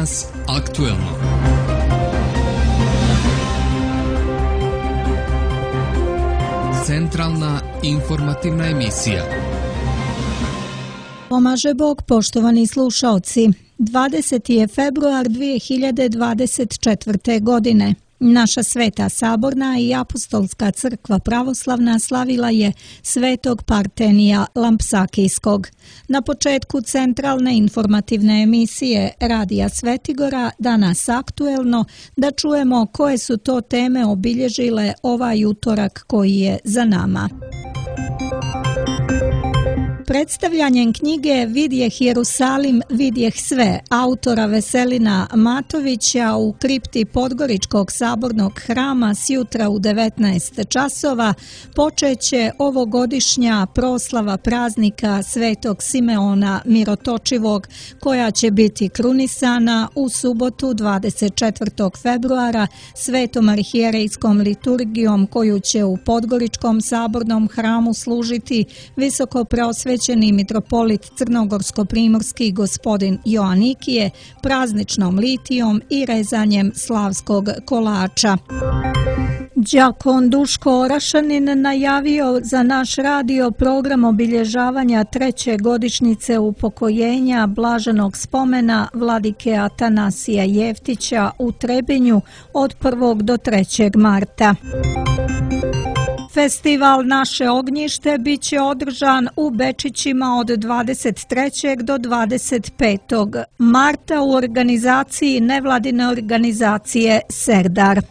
Danas aktuelno. Centralna informativna emisija. Pomaže Bog, poštovani slušaoci. 20. je februar 2024. godine. Naša Sveta Saborna i Apostolska crkva pravoslavna slavila je Svetog Partenija Lampsakijskog. Na početku centralne informativne emisije Radija Svetigora Danas aktuelno da čujemo koje su to teme obilježile ovaj utorak koji je za nama. Predstavljanjem knjige Vidjeh Jerusalim, vidjeh sve, autora Veselina Matovića u kripti Podgoričkog sabornog hrama sjutra u 19 časova počeće ovogodišnja proslava praznika Svetog Simeona Mirotočivog, koja će biti krunisana u subotu 24. februara Svetom arhijerejskom liturgijom koju će u Podgoričkom sabornom hramu služiti visokopreosvećeni mitropolit crnogorsko-primorski gospodin Joanikije prazničnom litijom i rezanjem slavskog kolača. Đakon Duško Orašanin najavio za naš radio program obilježavanja 3. godišnjice upokojenja blaženog spomena vladike Atanasija Jeftića u Trebinju od 1. do 3. marta. Festival Naše ognjište bit će održan u Bečićima od 23. do 25. marta u organizaciji nevladine organizacije Serdar.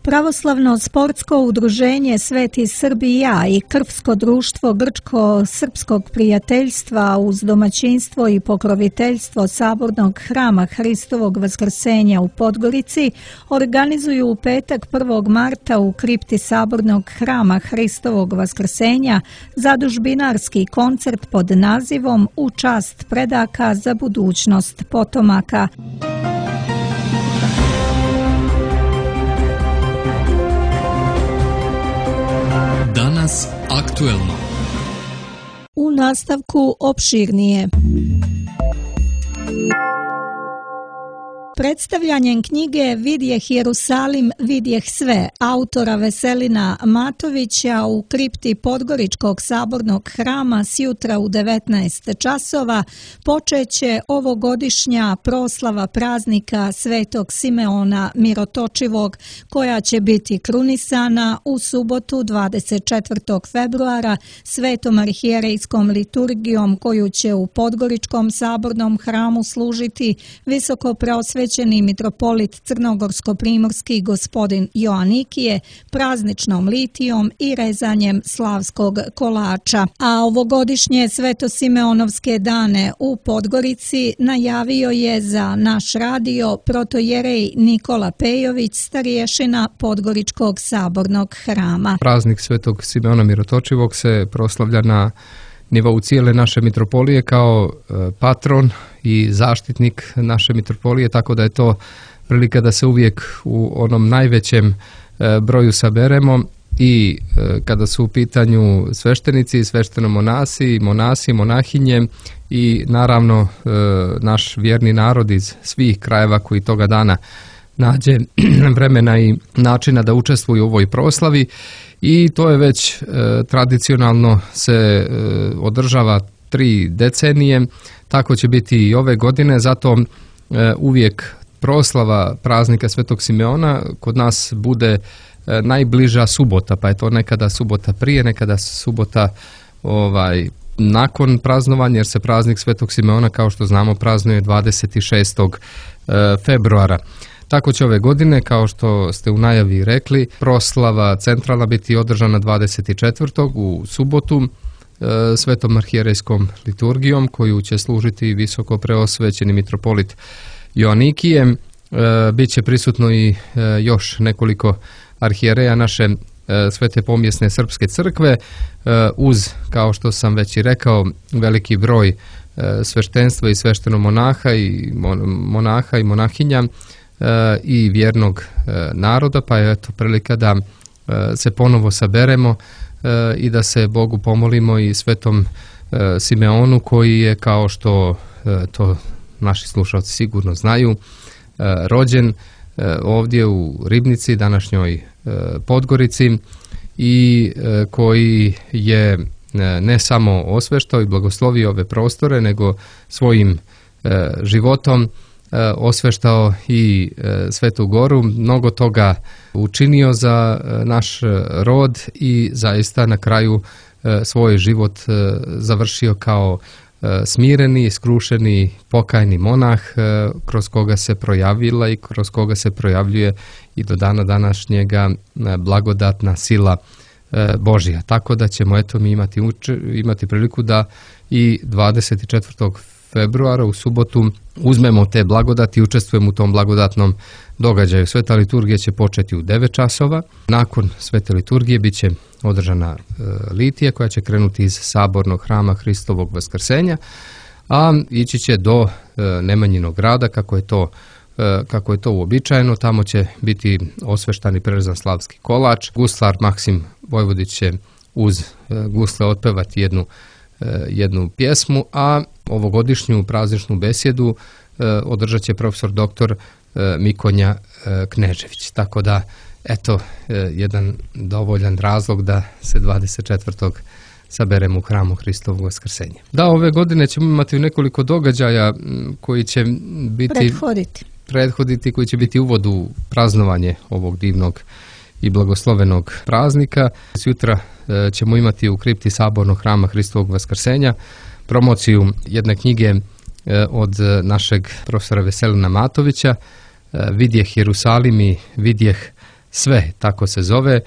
Pravoslavno sportsko udruženje Sveti Srbija i Krvsko društvo Grčko-srpskog prijateljstva uz domaćinstvo i pokroviteljstvo Sabornog hrama Hristovog Vaskrsenja u Podgorici organizuju u petak 1. marta u kripti Sabornog hrama Hristovog Vaskrsenja zadužbinarski koncert pod nazivom U čast predaka za budućnost potomaka. Danas aktuelno. U nastavku opširnije. Predstavljanjem knjige Vidjeh Jerusalim, vidjeh sve, autora Veselina Matovića u kripti Podgoričkog sabornog hrama sjutra u 19 časova počeće ovogodišnja proslava praznika Svetog Simeona Mirotočivog, koja će biti krunisana u subotu 24. februara Svetom arhijerejskom liturgijom koju će u Podgoričkom sabornom hramu služiti visokopreosvećeni mitropolit crnogorsko-primorski gospodin Joanikije prazničnom litijom i rezanjem slavskog kolača. A ovogodišnje Svetosimeonovske dane u Podgorici najavio je za naš radio protojerej Nikola Pejović, starješina Podgoričkog sabornog hrama. Praznik Svetog Simeona Mirotočivog se proslavlja na nivou cijele naše mitropolije kao patron i zaštitnik naše mitropolije, tako da je to prilika da se uvijek u onom najvećem broju saberemo i kada su u pitanju sveštenici, sveštenomonasi, monasi, monahinje i naravno naš vjerni narod iz svih krajeva koji toga dana nađe vremena i načina da učestvuju u ovoj proslavi. I to je već tradicionalno se održava 3 decenije, tako će biti i ove godine, zato uvijek proslava praznika Svetog Simeona kod nas bude najbliža subota, pa je to nekada subota prije, nekada subota nakon praznovanja, jer se praznik Svetog Simeona, kao što znamo, praznuje 26. februara. Tako će ove godine, kao što ste u najavi rekli, proslava centralna biti održana 24. u subotu Svetom arhijerejskom liturgijom koju će služiti visoko preosvećeni mitropolit Joanikije. Biće prisutno i još nekoliko arhijereja naše Svete pomjesne srpske crkve uz, kao što sam već i rekao, veliki broj sveštenstva i sveštenomonaha i monaha i monahinja i vjernog naroda, pa je to prilika da se ponovo saberemo i da se Bogu pomolimo i Svetom Simeonu koji je, kao što to naši slušalci sigurno znaju, rođen ovdje u Ribnici, današnjoj Podgorici, i koji je ne samo osveštao i blagoslovio ove prostore, nego svojim životom osveštao i Svetu Goru, mnogo toga učinio za naš rod i zaista na kraju svoj život završio kao smireni, skrušeni, pokajni monah, kroz koga se projavila i kroz koga se projavljuje i do dana današnjega blagodatna sila Božja. Tako da ćemo mi imati priliku da i 24. februara u subotu uzmemo te blagodati i učestvujemo u tom blagodatnom događaju. Sveta liturgija će početi u 9 časova. Nakon svete liturgije bit će održana litija koja će krenuti iz sabornog hrama Hristovog Vaskrsenja, a ići će do Nemanjinog grada kako je to uobičajeno. Tamo će biti osveštan i prerezan slavski kolač. Guslar Maksim Vojvodić će uz gusle otpevati jednu pjesmu, a ovogodišnju prazničnu besjedu održat će profesor doktor Mikonja Knežević. Tako da, eto, jedan dovoljan razlog da se 24. saberemo u hramu Hristovog Vaskrsenja. Da, ove godine ćemo imati nekoliko događaja koji će biti prethoditi, koji će biti uvod u praznovanje ovog divnog i blagoslovenog praznika. Sutra ćemo imati u kripti sabornog hrama Hristovog Vaskrsenja promociju jedne knjige od našeg profesora Veselina Matovića, Vidjeh Jerusalim i Vidjeh sve, tako se zove.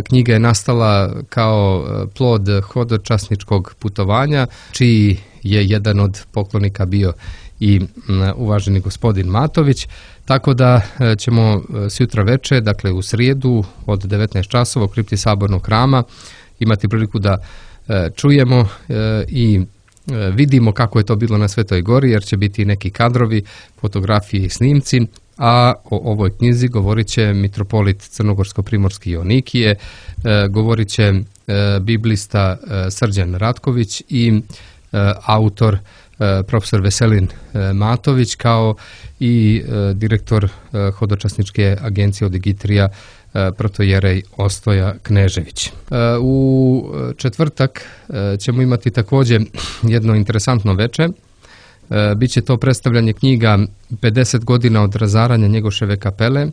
Knjiga je nastala kao plod hodočasničkog putovanja, čiji je jedan od poklonika bio i uvaženi gospodin Matović, tako da ćemo sutra večer, dakle u srijedu od 19 časova u kripti sabornog hrama imati priliku da čujemo i vidimo kako je to bilo na Svetoj Gori, jer će biti neki kadrovi, fotografije i snimci, a o ovoj knjizi govorit će mitropolit Crnogorsko-primorski Joanikije, govorit će biblista Srđan Ratković i autor profesor Veselin Matović, kao i direktor hodočasničke agencije Odigitrija protojerej Ostoja Knežević. U četvrtak ćemo imati također jedno interesantno večer. Biće to predstavljanje knjiga 50 godina od razaranja Njegoševe kapele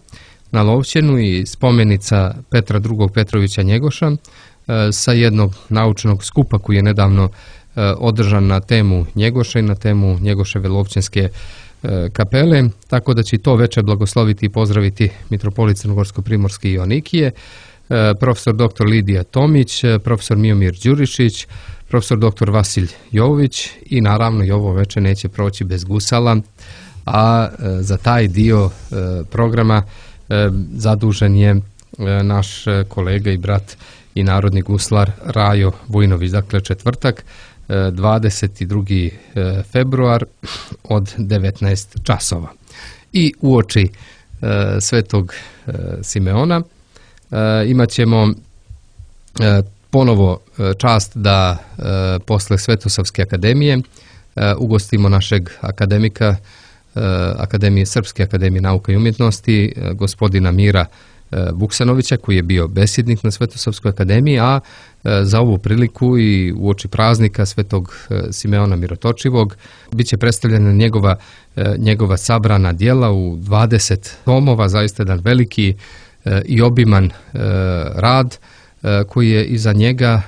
na Lovćenu i spomenica Petra II. Petrovića Njegoša sa jednog naučnog skupa koji je nedavno održan na temu Njegoša i na temu Njegoševe Lovćenske kapele, tako da će to večer blagosloviti i pozdraviti mitropolit Crnogorsko-primorski Joanikije, profesor dr. Lidija Tomić, profesor Miomir Đurišić, profesor dr. Vasilj Jovović, i naravno i ovo večer neće proći bez gusala, a za taj dio programa zadužen je naš kolega i brat i narodni guslar Rajo Vujnović. Dakle, četvrtak 22. februar od 19 časova. I uoči Svetog Simeona imat ćemo ponovo čast da posle Svetosavske akademije ugostimo našeg akademika Srpske akademije nauka i umjetnosti, gospodina Mira Vuksanovića, koji je bio besjednik na Svetosavskoj akademiji, a za ovu priliku i uoči praznika Svetog Simeona Mirotočivog bit će predstavljena njegova sabrana djela u 20 tomova, zaista jedan veliki i obiman rad koji je iza njega,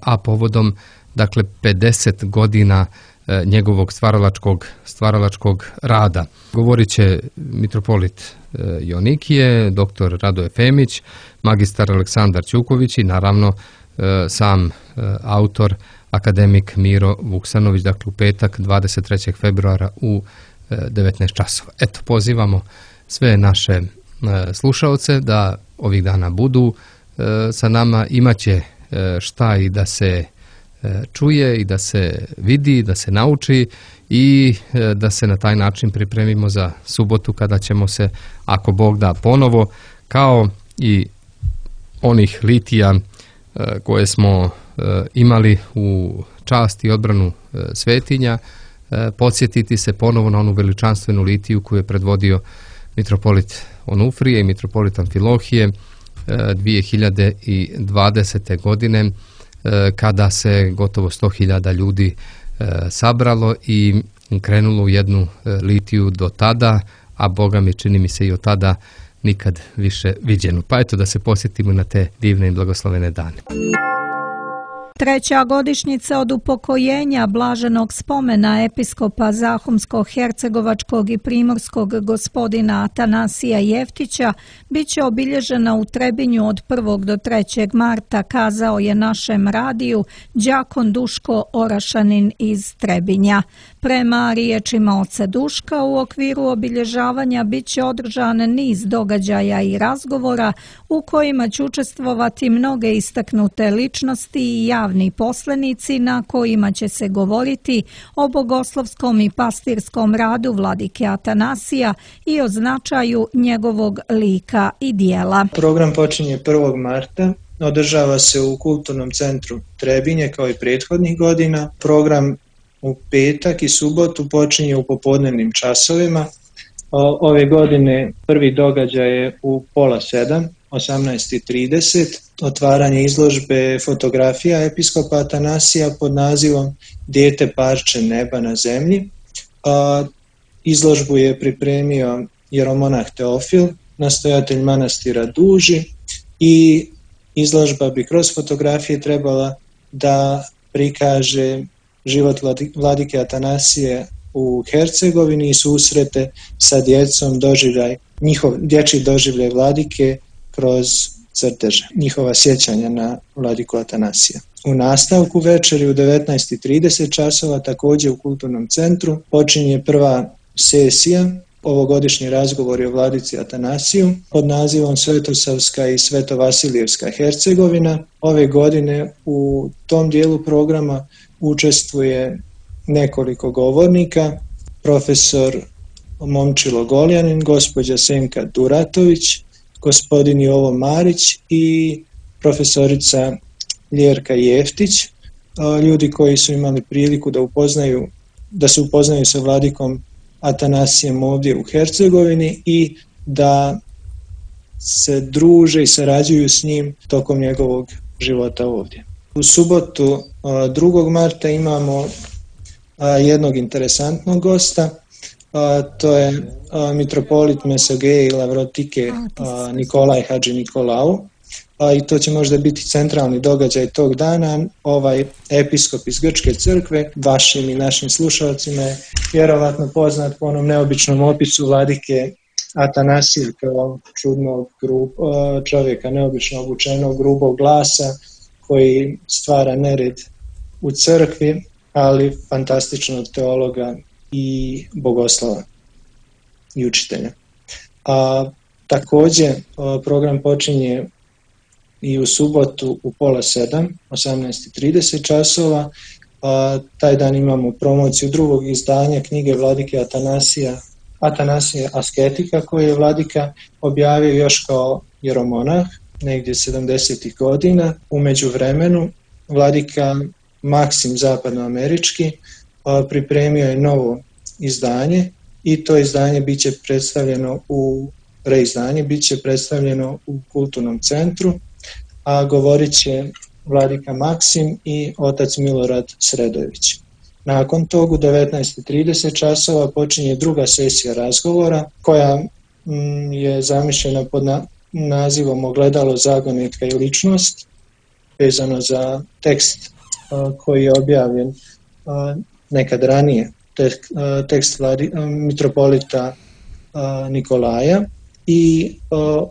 a povodom, dakle, 50 godina njegovog stvaralačkog rada. Govorit će mitropolit Joanikije, dr. Radoje Femić, magistar Aleksandar Ćuković i naravno sam autor akademik Miro Vuksanović, dakle u petak 23. februara u 19 časova. Eto, pozivamo sve naše slušaoce da ovih dana budu sa nama. Imaće šta i da se čuje i da se vidi, da se nauči i da se na taj način pripremimo za subotu, kada ćemo se, ako Bog da, ponovo kao i onih litija koje smo imali u čast i odbranu svetinja, podsjetiti se ponovo na onu veličanstvenu litiju koju je predvodio mitropolit Onufrije i mitropolit Amfilohije 2020. godine, kada se gotovo 100.000 ljudi sabralo i krenulo u jednu litiju do tada, a Boga mi čini mi se i od tada nikad više viđenu. Pa eto da se posjetimo na te divne i blagoslovene dane. Treća godišnjica od upokojenja blaženog spomena episkopa Zahumsko-hercegovačkog i primorskog gospodina Atanasija Jeftića bit će obilježena u Trebinju od 1. do 3. marta, kazao je našem radiju đakon Duško Orašanin iz Trebinja. Prema riječima oca Duška, u okviru obilježavanja bit će održan niz događaja i razgovora u kojima će učestvovati mnoge istaknute ličnosti i javni poslenici na kojima će se govoriti o bogoslovskom i pastirskom radu vladike Atanasija i o značaju njegovog lika i dijela. Program počinje 1. marta. Održava se u Kulturnom centru Trebinje kao i prethodnih godina. Program u petak i subotu počinje u popodnevnim časovima. Ove godine prvi događaj je u 6:30, 18:30, otvaranje izložbe fotografija episkopa Atanasija pod nazivom Dijete parče neba na zemlji. Izložbu je pripremio jeromonah Teofil, nastojatelj manastira Duži, i izložba bi kroz fotografije trebala da prikaže život vladike Atanasije u Hercegovini i susrete sa djecom, dječji doživljaj vladike kroz crteže, njihova sjećanja na vladiku Atanasija. U nastavku večeri u 19:30 časova također u Kulturnom centru počinje prva sesija, ovogodišnji razgovori o vladici Atanasiju pod nazivom Svetosavska i Svetovasilijevska Hercegovina. Ove godine u tom dijelu programa učestvuje nekoliko govornika: profesor Momčilo Goljanin, gospođa Senka Duratović, gospodin Jovo Marić i profesorica Ljerka Jeftić, ljudi koji su imali priliku da se upoznaju sa vladikom Atanasijem ovdje u Hercegovini i da se druže i sarađuju s njim tokom njegovog života ovdje. U subotu 2. marta imamo jednog interesantnog gosta, to je mitropolit Mesogeje i Lavrotike Nikolaj Hadži Nikolau, i to će možda biti centralni događaj tog dana. Ovaj episkop iz Grčke crkve, vašim i našim slušalcima, je vjerovatno poznat po onom neobičnom opisu vladike Atanasija kao čudnog čovjeka, neobično obučenog, grubog glasa koji stvara nered u crkvi, ali fantastičnog teologa i bogoslova i učitelja. Također program počinje i u subotu u 6:30, 18:30 časova. Taj dan imamo promociju drugog izdanja knjige vladike Atanasija Asketika, koju je vladika objavio još kao jeromonah negdje 70. godina. U međuvremenu vladika Maksim zapadnoamerički pripremio je novo izdanje i to izdanje bit će predstavljeno u Kulturnom centru, a govorit će vladika Maksim i otac Milorad Sredojević. Nakon tog u 19:30 časova počinje druga sesija razgovora koja je zamišljena pod nazivom Ogledalo, zagonetka i ličnost, vezano za tekst koji je objavljen nekad ranije, tekst mitropolita Nikolaja, i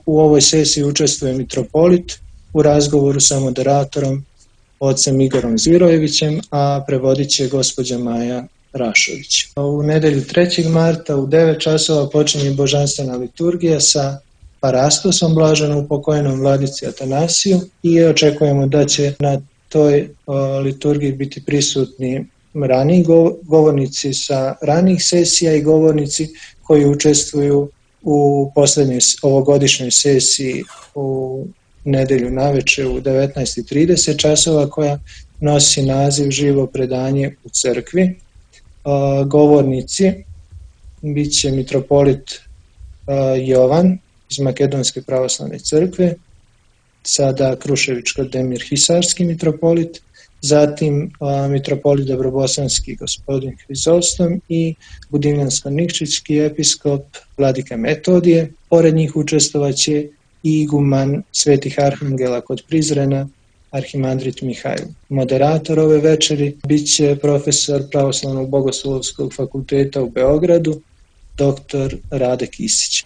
u ovoj sesiji učestvuje mitropolit u razgovoru sa moderatorom ocem Igorom Zvirojevićem, a prevodit će gospođa Maja Rašović. U nedjelju 3. marta u 9 časova počinje božanstvena liturgija sa Parastosom, blaženo upokojenom vladici Atanasiju, i očekujemo da će na toj liturgiji biti prisutni raniji govornici sa ranijih sesija i govornici koji učestvuju u posljednjoj ovogodišnjoj sesiji u nedjelju navečer u 19:30 časova, koja nosi naziv Živo predanje u crkvi. govornici bit će mitropolit Jovan iz Makedonske pravoslavne crkve, sada Kruševičko-Demir Hisarski mitropolit, zatim mitropolit Dobrobosanski gospodin Hrizostom i Budimljansko-Nikšićki episkop Vladika Metodije. Pored njih učestvovaće i iguman Svetih Arhangela kod Prizrena, arhimandrit Mihajl. Moderator ove večeri bit će profesor Pravoslavnog bogoslovskog fakulteta u Beogradu, dr. Rade Kisić.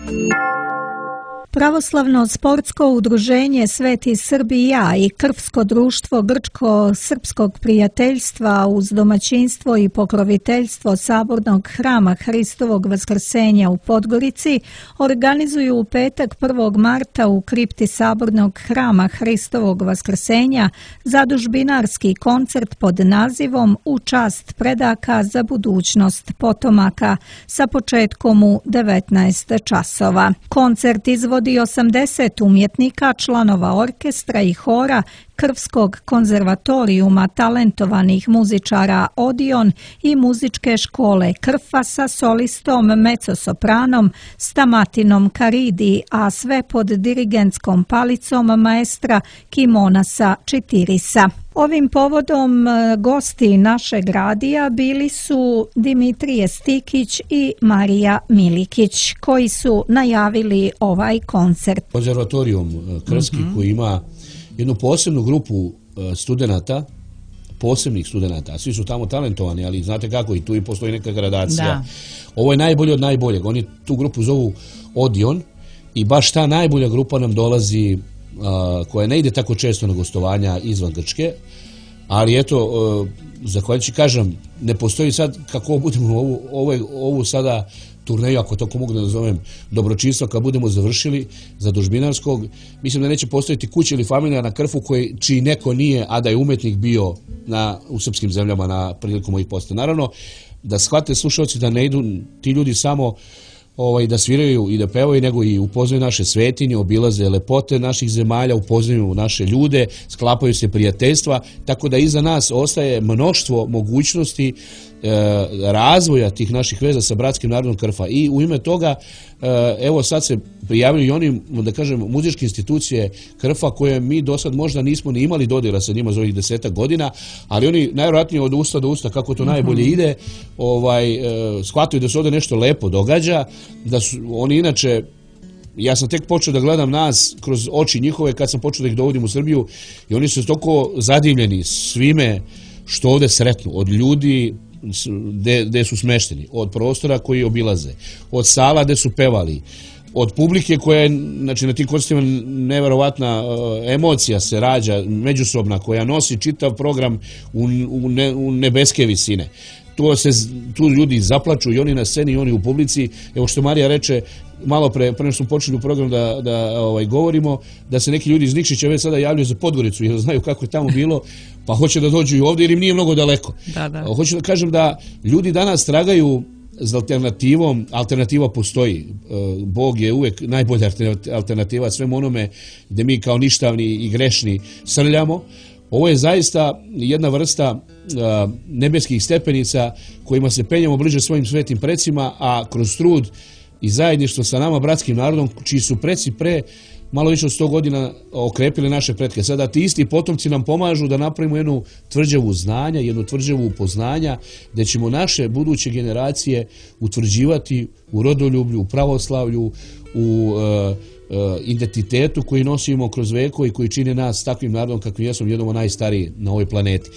Pravoslavno sportsko udruženje Sveti Srbija i Krvsko društvo Grčko-srpskog prijateljstva uz domaćinstvo i pokroviteljstvo Sabornog hrama Hristovog Vaskrsenja u Podgorici organizuju u petak 1. marta u kripti Sabornog hrama Hristovog Vaskrsenja zadužbinarski koncert pod nazivom U čast predaka za budućnost potomaka sa početkom u 19 časova. Koncert izvodi 80 umjetnika, članova orkestra i hora Krvskog konzervatorijuma talentovanih muzičara Odion i muzičke škole Krfa sa solistom mezzosopranom Stamatinom Karidi, a sve pod dirigentskom palicom maestra Kimonasa Čitirisa. Ovim povodom gosti našeg radija bili su Dimitrije Stikić i Marija Milikić, koji su najavili ovaj koncert. Konzervatorijum Krski koji ima jednu posebnu grupu studenata, posebnih studenata, a svi su tamo talentovani, ali znate kako, i tu i postoji neka gradacija. Da. Ovo je najbolje od najboljeg. Oni tu grupu zovu Odion i baš ta najbolja grupa nam dolazi, koja ne ide tako često na gostovanja izvan Grčke, ali eto, zahvaljujući, kažem, ne postoji sad kako budemo ovu sada turneju, ako tako mogu da nazovem, dobročinstva, kad budemo završili zadužbinarskog, mislim da neće postojati kuća ili familija na Krfu čiji neko nije, a da je umetnik bio u srpskim zemljama na priliku mojih posta. Naravno, da shvate slušalci da ne idu ti ljudi samo da sviraju i da pevaju, nego i upoznaju naše svetinje, obilaze lepote naših zemalja, upoznaju naše ljude, sklapaju se prijateljstva, tako da iza nas ostaje mnoštvo mogućnosti razvoja tih naših veza sa bratskim narodom Krfa. I u ime toga, evo sad se prijavljaju i oni, da kažem, muzičke institucije Krfa koje mi do sad možda nismo ni imali dodira sa njima za ovih 10 godina, ali oni najvjerojatnije od usta do usta, kako to najbolje ide, shvataju da se ovdje nešto lepo događa, da su oni inače, ja sam tek počeo da gledam nas kroz oči njihove kad sam počeo da ih dovodim u Srbiju i oni su toliko zadivljeni svime što ovdje sretnu, od ljudi gde su smešteni, od prostora koji obilaze, od sala gde su pevali, od publike koja je, znači na tim koncertima neverovatna emocija se rađa, međusobna, koja nosi čitav program u nebeske visine. Tu ljudi zaplaču i oni na sceni i oni u publici. Evo što Marija reče, malo pre što smo počeli u program da govorimo, da se neki ljudi iz Nikšića već sada javljaju za Podgoricu jer znaju kako je tamo bilo, pa hoće da dođu i ovdje jer im nije mnogo daleko. Da. Hoću da kažem da ljudi danas tragaju za alternativom, alternativa postoji. Bog je uvek najbolja alternativa svemu onome gde mi kao ništavni i grešni srljamo. Ovo je zaista jedna vrsta nebeskih stepenica kojima se penjamo bliže svojim svetim precima, a kroz trud i zajedništvo sa nama bratskim narodom, čiji su preci pre malo više od 100 godina okrepili naše pretke. Sada ti isti potomci nam pomažu da napravimo jednu tvrđavu znanja, jednu tvrđavu poznanja, gde ćemo naše buduće generacije utvrđivati u rodoljublju, u pravoslavlju, u identitetu koji nosimo kroz veko i koji čini nas takvim narodom kakvim jesmo, jednom najstariji na ovoj planeti.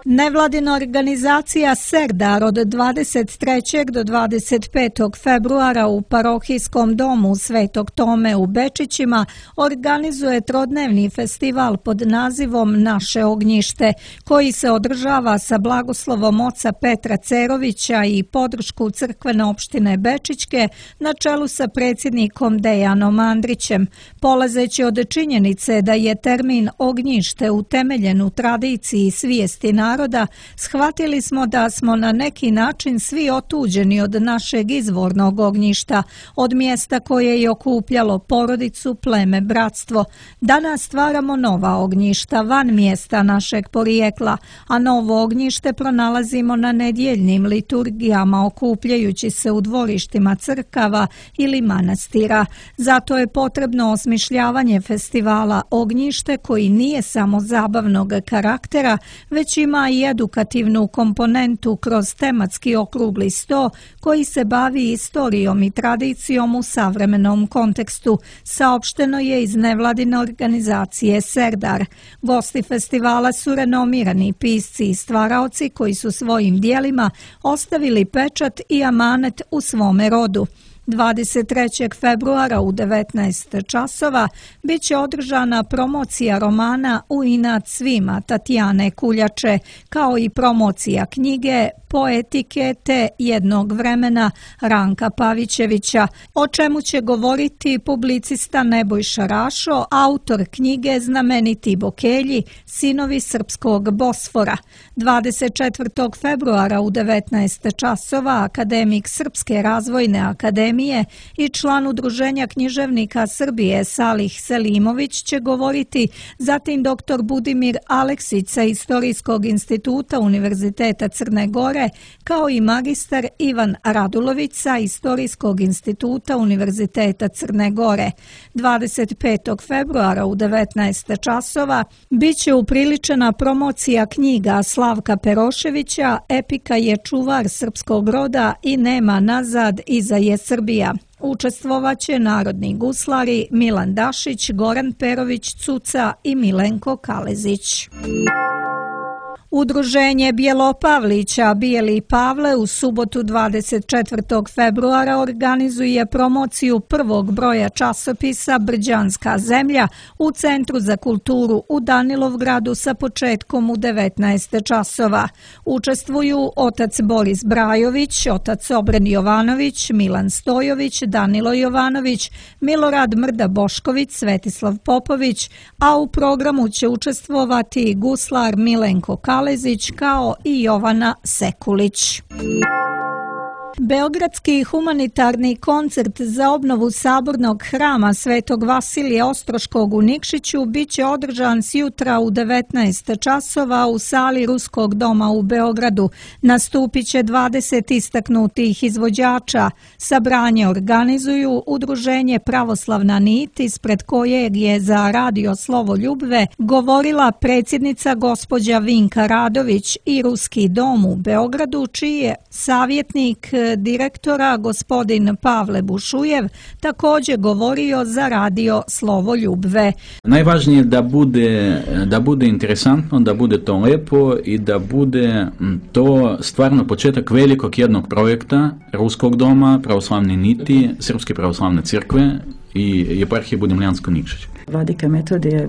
Nevladina organizacija Serdar od 23. do 25. februara u parohijskom domu Svetog Tome u Bečićima organizuje trodnevni festival pod nazivom Naše ognjište, koji se održava sa blagoslovom oca Petra Cerovića i podršku crkvene opštine Bečićke na čelu sa predsjednikom Dejanom Andrićem. Polazeći od činjenice da je termin ognjište utemeljen u tradiciji svijesti naroda naroda, shvatili smo da smo na neki način svi otuđeni od našeg izvornog ognjišta, od mjesta koje je okupljalo porodicu, pleme, bratstvo. Danas stvaramo nova ognjišta van mjesta našeg porijekla, a novo ognjište pronalazimo na nedjeljnim liturgijama, okupljajući se u dvorištima crkava ili manastira. Zato je potrebno osmišljavanje festivala Ognjište koji nije samo zabavnog karaktera, već ima i edukativnu komponentu kroz tematski okrugli sto koji se bavi istorijom i tradicijom u savremenom kontekstu, saopšteno je iz nevladine organizacije Serdar. Gosti festivala su renomirani pisci i stvaraoci koji su svojim dijelima ostavili pečat i amanet u svome rodu. 23. februara u 19 časova bit će održana promocija romana U inat svima Tatjane Kuljače, kao i promocija knjige Poetike te jednog vremena Ranka Pavićevića, o čemu će govoriti publicista Nebojša Rašo, autor knjige Znameniti Bokelji, sinovi srpskog Bosfora. 24. februara u 19 časova akademik Srpske razvojne akademije i član Udruženja književnika Srbije Salih Selimović će govoriti, zatim dr. Budimir Aleksić sa Istorijskog instituta Univerziteta Crne Gore, kao i magistar Ivan Radulović sa Istorijskog instituta Univerziteta Crne Gore. 25. februara u 19 časova bit će upriličena promocija knjiga Slavka Peroševića Epika je čuvar srpskog roda i nema nazad, iza je Srbija. Učestvovaće narodni guslari Milan Dašić, Goran Perović Cuca i Milenko Kalezić. Udruženje Bjelopavlića Bijeli Pavle u subotu 24. februara organizuje promociju prvog broja časopisa Brđanska zemlja u Centru za kulturu u Danilovgradu sa početkom u 19 časova. Učestvuju otac Boris Brajović, otac Obren Jovanović, Milan Stojović, Danilo Jovanović, Milorad Mrda Bošković, Svetislav Popović, a u programu će učestvovati guslar Milenko Kalezić kao i Jovana Sekulić. Beogradski humanitarni koncert za obnovu sabornog hrama Svetog Vasilija Ostroškog u Nikšiću bit će održan sjutra u 19 časova u sali Ruskog doma u Beogradu. Nastupit će 20 istaknutih izvođača. Sabranje organizuju Udruženje Pravoslavna nit, ispred kojeg je za Radio Slovo Ljubve govorila predsjednica gospođa Vinka Radović, i Ruski dom u Beogradu, čiji je savjetnik direktora gospodin Pavle Bušujev također govorio za Radio Slovo Ljubve. Najvažnije je da bude interesantno, da bude to lepo i da bude to stvarno početak velikog jednog projekta Ruskog doma, Pravoslavne niti, Srpske pravoslavne crkve i Eparhije Budimljansko-Nikšić. Vladika Metodije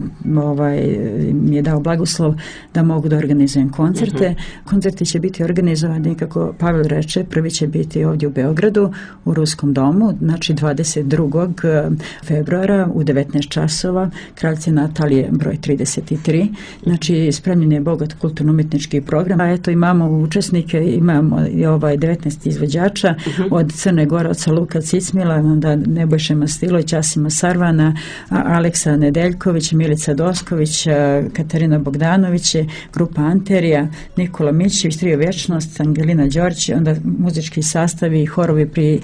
mi je dao blagoslov da mogu da organizujem koncerte. Koncerti će biti organizovani, kako Pavel reče, prvi će biti ovdje u Beogradu u Ruskom domu, znači 22. februara u 19 časova, Kraljice Natalije broj 33. Znači spremljen je bogat kulturno-umjetnički program. A eto imamo učesnike, imamo 19 izvođača od Crne Gore, od Luka Cicmila, onda Nebojše Mastilović, Asima Sarvana, Aleksa Nedeljković, Milica Dosković, Katarina Bogdanović, grupa Anterija, Nikola Mićević, Trio Vječnost, Angelina Đorđe, onda muzički sastavi i horovi pri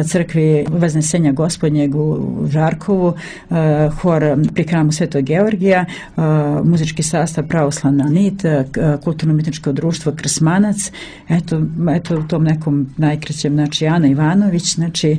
crkvi Vaznesenja Gospodnjeg u Žarkovu, hor pri hramu Svetog Georgija, muzički sastav Pravoslavna nit, kulturno-umjetničko društvo Krsmanac, eto u tom nekom najkraćem, znači Ana Ivanović, znači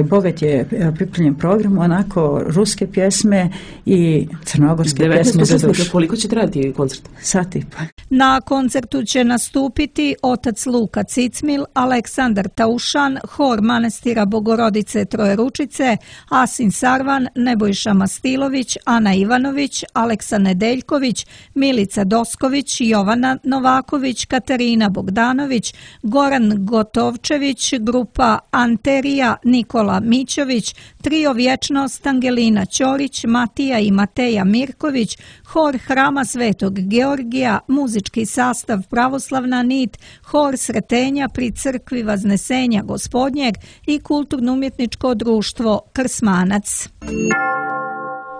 bogat je pripremljen program, onako ruske pjesme i crnogorske pjesme za dušu. Koliko će trajati koncert? Sat i pa. Na koncertu će nastupiti otac Luka Cicmil, Aleksandar Taušan, hor manastira Bogorodice Trojeručice, Asin Sarvan, Nebojša Mastilović, Ana Ivanović, Aleksa Nedeljković, Milica Dosković, Jovana Novaković, Katarina Bogdanović, Goran Gotovčević, grupa Anterija, Nikola Mićović, Trio Vječnost, Angelina Ćorić, Matija i Mateja Mirković, hor Hrama Svetog Georgija, muzički sastav Pravoslavna nit, hor Sretenja pri crkvi Vaznesenja Gospodnjeg i kulturno-umjetničko društvo Krsmanac.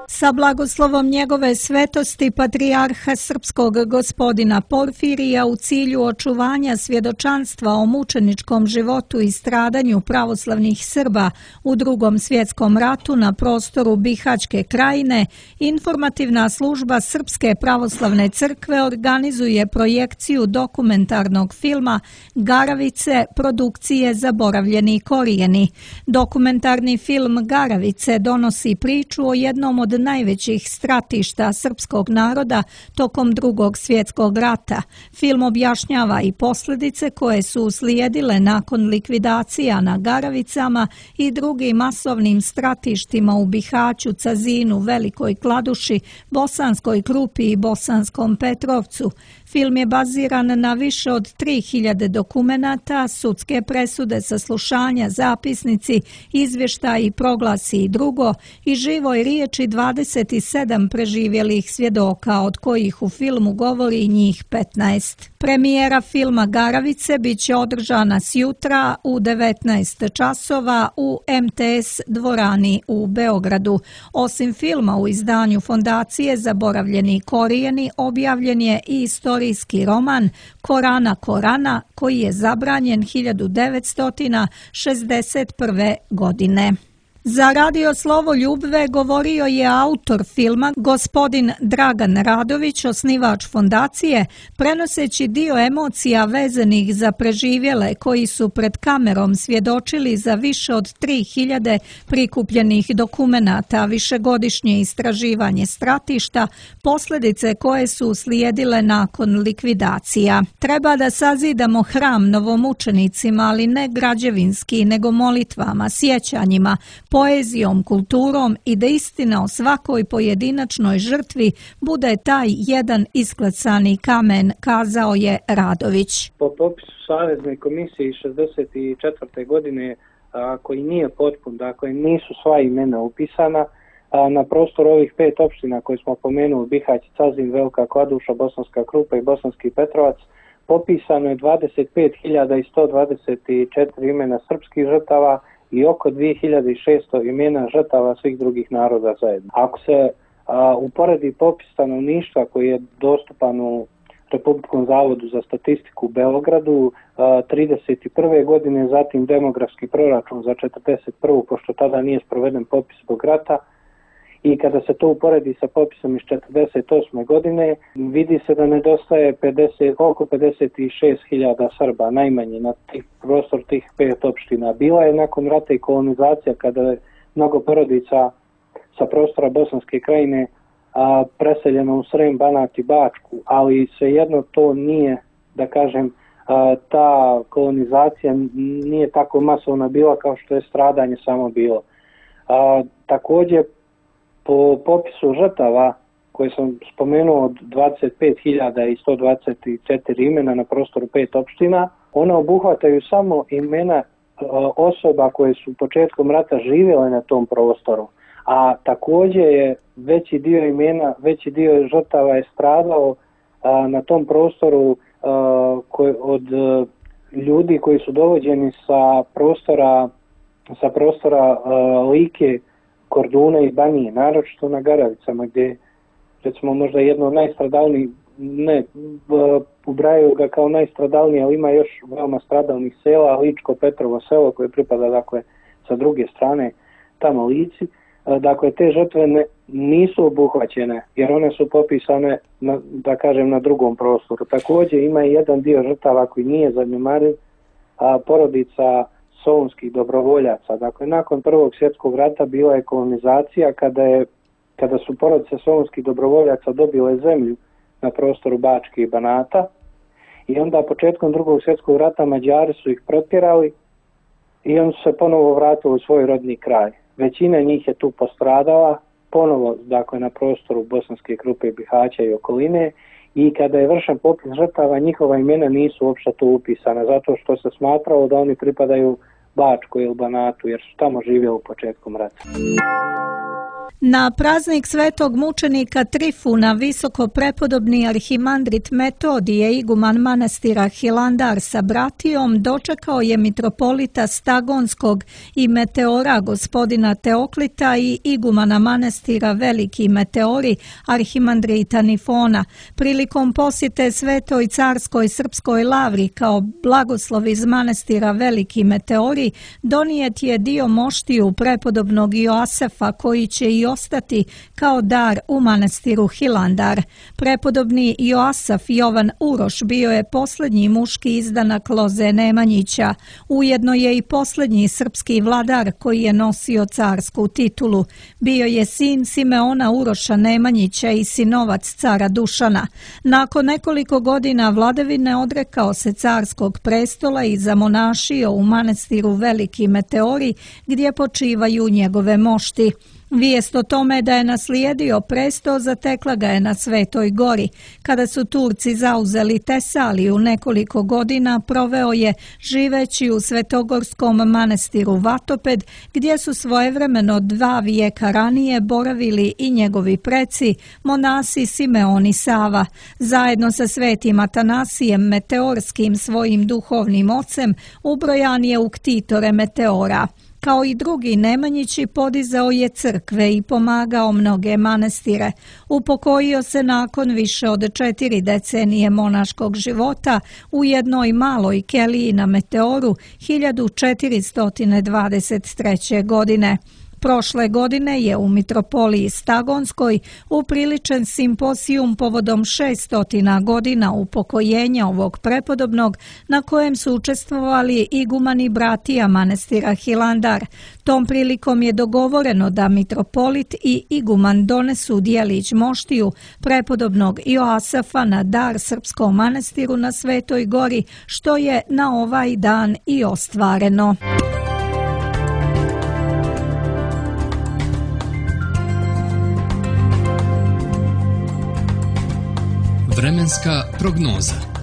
Sa blagoslovom njegove svetosti patrijarha srpskog gospodina Porfirija u cilju očuvanja svjedočanstva o mučeničkom životu i stradanju pravoslavnih Srba u Drugom svjetskom ratu na prostoru Bihaćke krajine, informativna služba Srpske pravoslavne crkve organizuje projekciju dokumentarnog filma Garavice produkcije Zaboravljeni korijeni. Dokumentarni film Garavice donosi priču o jednom od najvećih stratišta srpskog naroda tokom Drugog svjetskog rata. Film objašnjava i posljedice koje su uslijedile nakon likvidacija na Garavicama i drugim masovnim stratištima u Bihaću, Cazinu, Velikoj Kladuši, Bosanskoj Krupi i Bosanskom Petrovcu. Film je baziran na više od 3000 dokumenata, sudske presude, saslušanja, zapisnici, izvještaji, proglasi i drugo i živoj riječi 27 preživjelih svjedoka, od kojih u filmu govori njih 15. Premijera filma Garavice bit će održana sjutra u 19 časova u MTS dvorani u Beogradu. Osim filma u izdanju Fondacije Zaboravljeni korijeni objavljen je i istorijski roman Korana Korana koji je zabranjen 1961. godine. Za Radio Slovo Ljubve govorio je autor filma, gospodin Dragan Radović, osnivač fondacije, prenoseći dio emocija vezanih za preživjele koji su pred kamerom svjedočili za više od 3000 prikupljenih dokumenata, višegodišnje istraživanje stratišta, posljedice koje su uslijedile nakon likvidacija. Treba da sazidamo hram novomučenicima, ali ne građevinski, nego molitvama, sjećanjima, poezijom, kulturom i da istina o svakoj pojedinačnoj žrtvi bude taj jedan isklesani kamen, kazao je Radović. Po popisu Savezne komisije iz 1964. godine, koji nije potpun, dakle nisu sva imena upisana, na prostoru ovih 5 opština koje smo pomenuli, Bihać, Cazin, Velika Kladuša, Bosanska Krupa i Bosanski Petrovac, popisano je 25.124 imena srpskih žrtava i oko 2600 imena žrtava svih drugih naroda zajedno. Ako se uporedi popis stanovništva koji je dostupan u Republičkom zavodu za statistiku u Beogradu 31. godine, zatim demografski proračun za 41. pošto tada nije sproveden popis zbog rata, i kada se to uporedi sa popisom iz 48. godine, vidi se da nedostaje oko 56.000 Srba, najmanje na prostor tih 5 opština. Bila je nakon rata i kolonizacija kada je mnogo porodica sa prostora Bosanske krajine preseljeno u Srem, Banat i Bačku, ali svejedno to nije, da kažem, ta kolonizacija nije tako masovna bila kao što je stradanje samo bilo. Također, po popisu žrtava koje sam spomenuo od 25.124 imena na prostoru 5 opština, ona obuhvataju samo imena osoba koje su početkom rata živjele na tom prostoru, a također je veći dio žrtava je stradao na tom prostoru od ljudi koji su dovođeni sa prostora Like, Korduna i Banije, naročito na Garavicama, gdje recimo možda jedno od najstradalnijih, ne ubrajaju ga kao najstradalnije, ali ima još veoma stradalnih sela, Ličko Petrovo selo koje pripada dakle sa druge strane tamo Lici. Dakle, te žrtve nisu obuhvaćene jer one su popisane na drugom prostoru. Također ima i jedan dio žrtava koji nije zanemariv, porodica solunskih dobrovoljaca. Dakle, nakon Prvog svjetskog rata bila je kolonizacija kada su porodice solunskih dobrovoljaca dobile zemlju na prostoru Bačke i Banata i onda početkom Drugog svjetskog rata Mađari su ih protjerali i oni su se ponovo vratili u svoj rodni kraj. Većina njih je tu postradala, ponovo dakle na prostoru Bosanske Krupe, Bihaća i okoline, i kada je vršen popis žrtava njihova imena nisu uopšte tu upisana zato što se smatralo da oni pripadaju Bačkoj ili Banatu jer su tamo živjeli u početkom rata. Na praznik svetog mučenika Trifuna visoko prepodobni arhimandrit Metodije, iguman manastira Hilandar sa bratijom, dočekao je mitropolita Stagonskog i Meteora gospodina Teoklita i igumana manastira Veliki Meteori arhimandrita Nifona. Prilikom posjete Svetoj carskoj srpskoj lavri kao blagoslov iz manastira Veliki Meteori donijet je dio moštiju prepodobnog Joasefa koji će i ostati kao dar u manastiru Hilandar. Prepodobni Joasaf Jovan Uroš bio je posljednji muški izdanak Loze Nemanjića. Ujedno je i posljednji srpski vladar koji je nosio carsku titulu. Bio je sin Simeona Uroša Nemanjića i sinovac cara Dušana. Nakon nekoliko godina vladavine odrekao se carskog prestola i zamonašio u manastiru Veliki Meteori gdje počivaju njegove mošti. Vijest o tome da je naslijedio presto zatekla ga je na Svetoj gori. Kada su Turci zauzeli Tesaliju nekoliko godina, proveo je živeći u svetogorskom manastiru Vatoped, gdje su svojevremeno 2 vijeka ranije boravili i njegovi preci, monasi Simeon i Sava. Zajedno sa svetim Atanasijem Meteorskim, svojim duhovnim ocem, ubrojan je u ktitore Meteora. Kao i drugi Nemanjići podizao je crkve i pomagao mnoge manastire. Upokojio se nakon više od 4 decenije monaškog života u jednoj maloj keliji na Meteoru 1423. godine. Prošle godine je u mitropoliji Stagonskoj upriličen simpozijum povodom 600 godina upokojenja ovog prepodobnog, na kojem su učestvovali igumani bratija manastira Hilandar. Tom prilikom je dogovoreno da mitropolit i iguman donesu dijelić moštiju prepodobnog Joasefa na dar srpskom manastiru na Svetoj gori, što je na ovaj dan i ostvareno. Vremenska prognoza.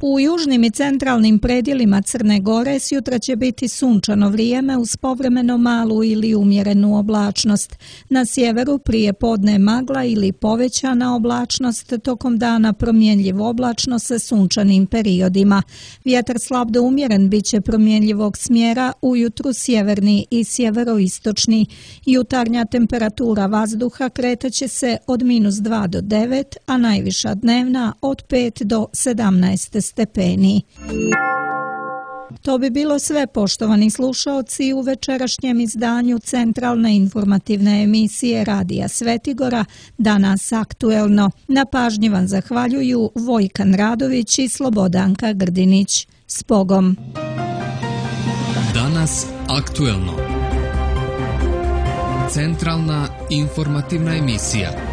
U južnim i centralnim predjelima Crne Gore sjutra će biti sunčano vrijeme uz povremeno malu ili umjerenu oblačnost. Na sjeveru prije podne magla ili povećana oblačnost, tokom dana promjenljiv oblačno sa sunčanim periodima. Vjetar slab do umjeren bit će promjenljivog smjera, ujutru sjeverni i sjeveroistočni. Jutarnja temperatura vazduha kretaće se od -2 do 9, a najviša dnevna od 5 do 17 stepeni. To bi bilo sve, poštovani slušaoci, u večerašnjem izdanju centralne informativne emisije Radija Svetigora Danas aktuelno. Na pažnji vam zahvaljuju Vojkan Radović i Slobodanka Grdinić. S Bogom! Danas aktuelno. Centralna informativna emisija.